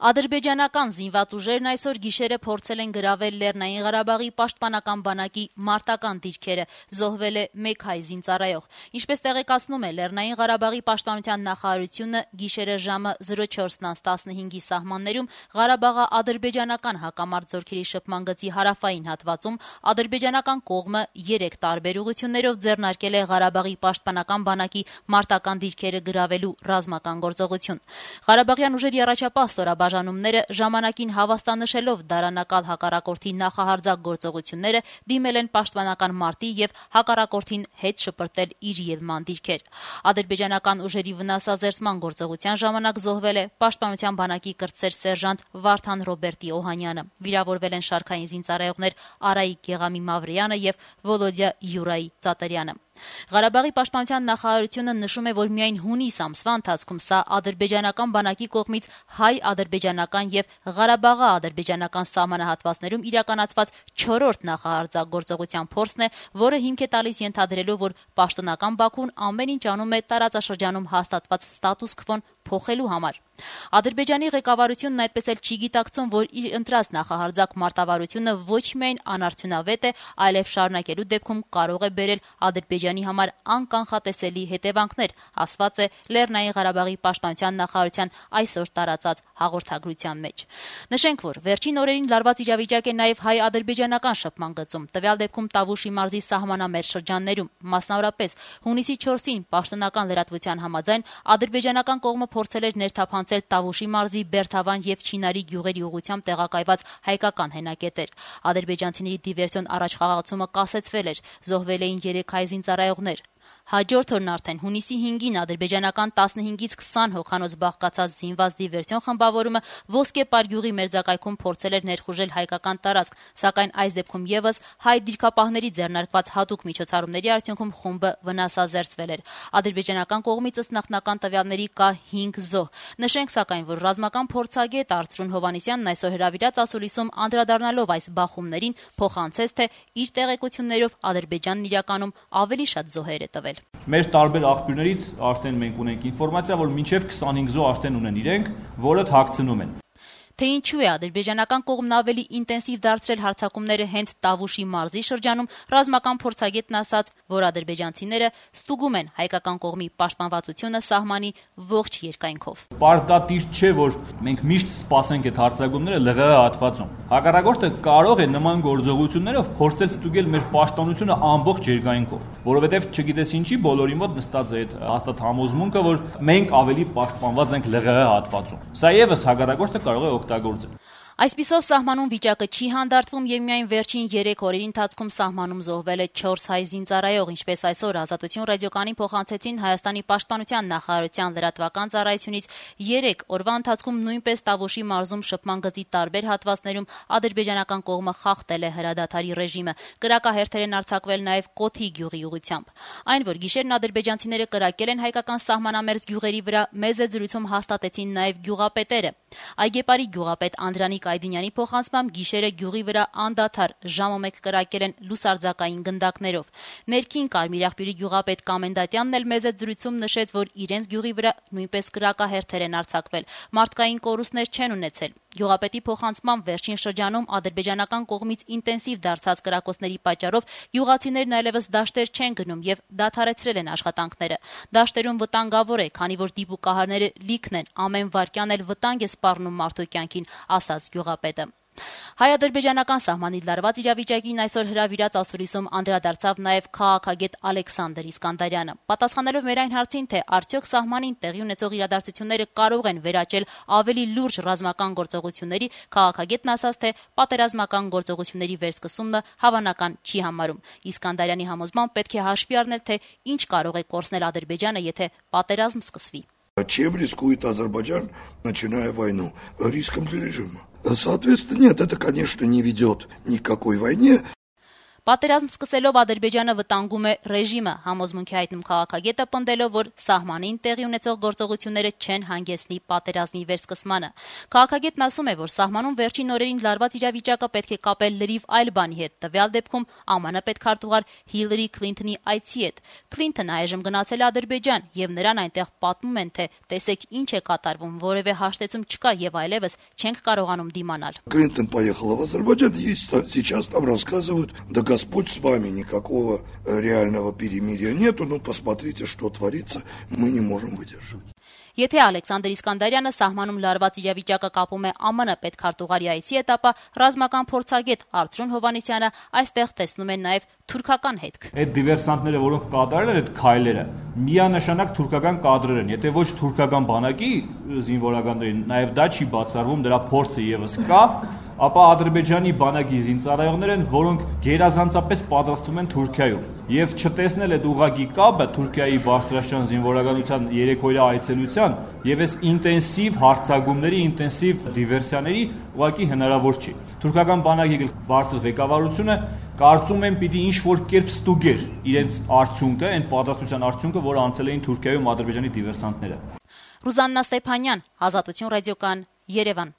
Ադրբեջանական զինված ուժերն այսօր գիշերը փորձել են գրավել Լեռնային Ղարաբաղի պաշտպանական բանակի մարտական դիրքերը, զոհվել է 1 հայ զինծառայող։ Ինչպես տեղեկացնում է Լեռնային Ղարաբաղի պաշտպանության նախարարությունը, գիշերը ժամը 04:15-ի սահմաններում Ղարաբաղի ադրբեջանական հակամարտ զորքերի շփման գծի հարավային հատվածում ադրբեջանական կողմը 3 տարբեր ուղղություններով ձեռնարկել է Ղարաբաղի պաշտպանական բանակի մարտական դիրքերը գրավելու ռազմական գործողություն։ Ղարաբաղյան ուժերի առաջապահ ստորաբաժանումները ժամանակին հավաստանշելով դարանակալ հակառակորդի նախահարձակ գործողությունները դիմել են պաշտպանական մարտի եւ հակառակորդին հետ շպրտել իր ելման դիրքեր։ Ադրբեջանական ուժերի վնասազերծման գործողության ժամանակ զոհվել է պաշտպանության բանակի կրտսեր սերժանտ Վարդան Ռոբերտի Օհանյանը։ Վիրավորվել են շարքային զինծառայողներ Արայիկ Գեղամի Մավրյանը եւ Վոլոդյա Յուրայի Ծատարյանը։ Ղարաբաղի պաշտպանության նախարարությունը նշում է, որ միայն հունիս ամսվա ընթացքում սա ադրբեջանական բանակի կողմից հայ-ադրբեջանական եւ Ղարաբաղի ադրբեջանական սահմանահատվածներում իրականացված 4-րդ նախահարձակ գործողության փորձն է, որը հիմք է տալիս ենթադրելու, որ պաշտոնական Բաքուն ամեն ինչ անում է տարածաշրջանում հաստատված ստատուս քվոն փոխելու համար։ Ադրբեջանի ղեկավարությունն այդպես էլ չի գիտակցում, որ իր ընտրած նախահարձակ մարտավարությունը ոչ միայն անարդյունավետ է, այլև շարունակելու դեպքում կարող է բերել Ադրբեջանի համար անկանխատեսելի հետևանքներ, ասված է Լեռնային Ղարաբաղի պաշտպանության նախարարության այսօր տարածած հաղորդագրության մեջ։ Նշենք, որ վերջին օրերին լարված իրավիճակ է նաև հայ-ադրբեջանական շփման գծում, տվյալ դեպքում Տավուշի մարզի սահմանամերձ շրջաններում, մասնավորապես հունիսի 4-ին պաշտոնական լրատվության համաձայն ադրբեջանական կողմը փորձել էր ներթափանցել Տավուշի մարզի Բերթավան եւ Չինարի գյուղերի ուղղությամբ տեղակայված հայկական հենակետեր։ Ադրբեջանցիների դիվերսիոն առաջխաղացումը կասեցվել էր, զոհվել էին 3 հայ զինծառայողներ։ Հաջորդ օրն արդեն հունիսի 5-ին ադրբեջանական 15-ից 20 հոգանոց բաղկացած զինված դիվերսիոն խմբավորումը Ոսկեպար գյուղի մերձակայքում փորձել էր ներխուժել հայկական տարածք, սակայն այս դեպքում եւս հայ դիրքապահների ձեռնարկված հատուկ միջոցառումների արդյունքում խումբը վնասազերծվել էր։ Ադրբեջանական կողմից ըստ նախնական տվյալների կա 5 զոհ։ Նշենք սակայն, որ ռազմական փորձագետ Արծրուն Հովհաննիսյանն այսօր հրավիրած ասուլիսում անդրադառնալով այս բախումներին փոխանցեց, թե իր տեղեկություններով Ադրբեջանն իրականում ավելի շատ զոհեր է տվել։ Մեր տարբեր աղբյուրներից արդեն մենք ունենք ինֆորմացիա, որ մինչև 25 զոհ արդեն ունեն իրենք, որը թաքցնում են։ Թե ինչու է ադրբեջանական կողմն ավելի ինտենսիվ դարձրել հարձակումները հենց Տավուշի մարզի շրջանում, ռազմական փորձագետն ասաց, որ ադրբեջանցիները ստուգում են հայկական կողմի պաշտպանվածությունը սահմանի ողջ երկայնքով։ Պարտադիր չէ, որ մենք միշտ սպասենք այդ հարձակումները ԼՂՀ հատվածում։ Հակառակորդը կարող է նման գործողություններով փորձել ստուգել մեր պաշտպանությունը ամբողջ երկայնքով, որովհետև չգիտես ինչի բոլորի մոտ նստած է այդ հաստատ համոզմունքը, որ մենք ավելի պաշտպանված ենք ԼՂՀ հատվածում։ Սա եւս հակառակորդը կարող է օգտագործել։ Այսպիսով սահմանում վիճակը չի հանդարտվում եւ միայն վերջին 3 օրերի ընթացքում սահմանում զոհվել է 4 հայ զինծառայող, ինչպես այսօր Ազատություն ռադիոկայանին փոխանցեցին Հայաստանի պաշտպանության նախարարության լրատվական ծառայությունից 3 օրվա ընթացքում նույնպես Տավուշի մարզում շփման գծի տարբեր հատվածներում ադրբեջանական կողմը խախտել է հրադադարի ռեժիմը։ Կրակահերթեր են արձակվել նաեւ Կոթի գյուղի ուղղությամբ։ Այն, որ գիշերն ադրբեջանցիները կրակել են հայկական սահմանամերձ գյուղերի վրա, մեծ զրույցում հաստատեցին նաեւ գյուղապետերը։ Այգեպարի գյուղապետ Անդրանիկ Այդինյանի փոխանցմամբ գիշերը գյուղի վրա անդադար ժամը 1 կրակել են լուսարձակային գնդակներով։ Ներքին Կարմիրախպյուրի գյուղապետ Կամենդատյանն էլ մեծ զրույցում նշեց, որ իրենց գյուղի վրա նույնպես կրակահերթեր են արձակվել։ Մարդկային կորուստներ չեն ունեցել։ Գյուղապետի փոխանցմամբ վերջին շրջանում ադրբեջանական կողմից ինտենսիվ դարձած կրակոցների պատճառով գյուղացիներն այլևս դաշտեր չեն գնում եւ դադարեցրել են աշխատանքները։ Դաշտերում վտանգավոր է, քանի որ դիպուկահարները լիքն են, ամեն վայրկյան էլ վտանգ է սպառնում մարդու կյանքին, ասաց գյուղապետը։ Հայ-ադրբեջանական սահմանի լարված իրավիճակին այսօր հրավիրած ասուլիսում անդրադարձավ նաև քաղաքագետ Ալեքսանդր Իսկանդարյանը։ Պատասխանելով մեր այն հարցին, թե արդյոք սահմանին տեղի ունեցող իրադարձությունները կարող են վերաճել ավելի լուրջ ռազմական գործողությունների, քաղաքագետն ասաց, թե պատերազմական գործողությունների վերսկսումը հավանական չի համարում։ Իսկանդարյանի համոզմամբ պետք է հաշվի առնել, թե ինչ կարող է կորցնել Ադրբեջանը, եթե պատերազմ սկսվի։ Чем рискует Азербайджан, начиная войну? Риском для режима. Соответственно, нет, это, конечно, не ведет ни к какой войне. Պատերազմ սկսելով Ադրբեջանը վտանգում է ռեժիմը, համոզմունք է հայտնում քաղաքագետը, պնդելով, որ սահմանին տեղի ունեցող գործողությունները չեն հանգեցնի պատերազմի վերսկսմանը։ Քաղաքագետն ասում է, որ սահմանում վերջին օրերին լարված իրավիճակը պետք է կապել լրիվ այլ բանի հետ, տվյալ դեպքում ԱՄՆ պետքարտուղար Հիլարի Քլինթոնի այցի հետ։ Քլինթոնը այժմ գնացել է Ադրբեջան, եւ նրան այնտեղ պատմում են, թե տեսեք ինչ է կատարվում, որևէ հաշտեցում չկա եւ այլեւս չենք կարողանում դիմանալ։ Клинтон поехала в Азербайджан, ей сейчас там рассказывают, да Господь с вами, никакого реального перемирия нету, ну посмотрите, что творится, мы не можем выдержать. Եթե Ալեքսանդր Իսկանդարյանը սահմանում լարված իրավիճակը կապում է ԱՄՆ պետքարտուղարի այցի հետ, ապա ռազմական փորձագետ Արծրուն Հովհաննիսյանը այստեղ տեսնում է նաև թուրքական հետք։ Այդ դիվերսանտները, որոնք կատարել են այդ քայլերը, միանշանակ թուրքական կադրեր են։ Եթե ոչ թուրքական բանակի զինվորականներին, նաև դա չի բացառվում, դրա փորձը եւս կա, ապա Ադրբեջանի բանակի զինծառայողներ են, որոնք գերազանցապես պատրաստվում են Թուրքիայում։ Եվ չտեսնել այդ ուղղակի կապը Թուրքիայի բարձրաշան զինվորականության երեկոյա այցելության եւ այս ինտենսիվ հարձակումների, ինտենսիվ դիվերսիաների ուղղակի հնարավոր չի։ Թուրքական բանակի բարձր ղեկավարությունը կարծում եմ պիտի ինչ-որ կերպ ստուգեր իրենց արդյունքը, այն պատրաստության արդյունքը, որը անցել էին Թուրքիայում Ադրբեջանի դիվերսանտները։ Ռուզաննա Ստեփանյան, Ազատություն ռադիոկան, Երևան։